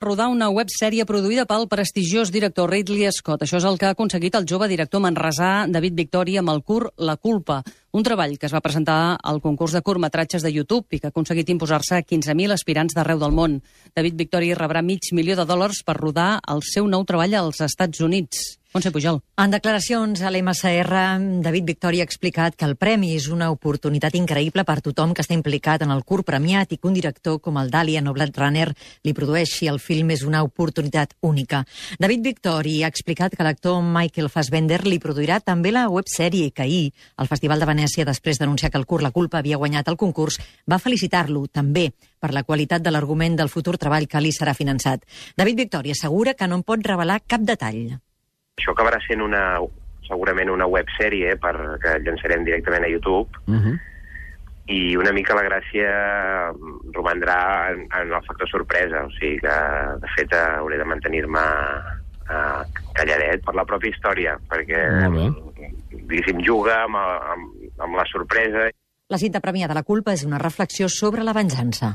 rodar una websèrie produïda pel prestigiós director Ridley Scott. Això és el que ha aconseguit el jove director manresà David Victori amb el curt La culpa, un treball que es va presentar al concurs de curtmetratges de YouTube i que ha aconseguit imposar-se a 15.000 aspirants d'arreu del món. David Victori rebrà $500.000 per rodar el seu nou treball als Estats Units. Montse Pujol. En declaracions a l'MSR, David Victori ha explicat que el premi és una oportunitat increïble per tothom que està implicat en el curt premiat i que un director com el d'Alien o Blade Runner li produeixi el film és una oportunitat única. David Victori ha explicat que l'actor Michael Fassbender li produirà també la websèrie que ahir, al Festival de Venècia, després d'anunciar que el curt La culpa havia guanyat el concurs, va felicitar-lo també per la qualitat de l'argument del futur treball que li serà finançat. David Victori assegura que no en pot revelar cap detall. Això acabarà sent segurament una websèrie que llançarem directament a YouTube. I una mica la gràcia romandrà en el factor sorpresa. O sigui que, de fet, hauré de mantenir-me calladet per la pròpia història, perquè, diguéssim, juga amb la sorpresa. La cinta premiada La culpa és una reflexió sobre la venjança.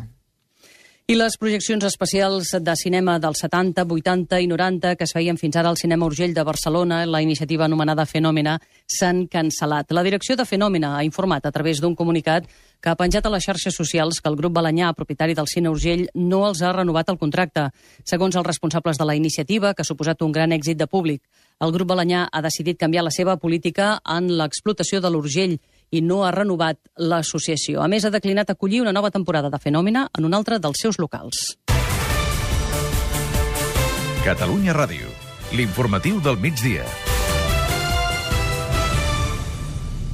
I les projeccions especials de cinema dels 70, 80 i 90 que es feien fins ara al Cinema Urgell de Barcelona, la iniciativa anomenada Fenòmena, s'han cancel·lat. La direcció de Fenòmena ha informat a través d'un comunicat que ha penjat a les xarxes socials que el grup Balanyà, propietari del Cine Urgell, no els ha renovat el contracte. Segons els responsables de la iniciativa, que ha suposat un gran èxit de públic, el grup Balanyà ha decidit canviar la seva política en l'explotació de l'Urgell i no ha renovat l'associació. A més, ha declinat acollir una nova temporada de Fenòmena en un altre dels seus locals. Catalunya Ràdio, l'informatiu del migdia.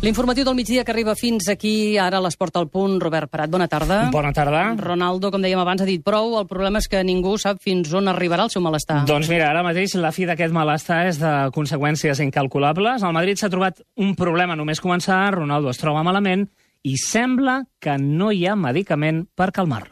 L'informatiu del migdia que arriba fins aquí, ara a l'Esport al Punt. Robert Prat, bona tarda. Bona tarda. Ronaldo, com dèiem abans, ha dit prou. El problema és que ningú sap fins on arribarà el seu malestar. Doncs mira, ara mateix la fi d'aquest malestar és de conseqüències incalculables. El Madrid s'ha trobat un problema només començar, Ronaldo es troba malament i sembla que no hi ha medicament per calmar-lo.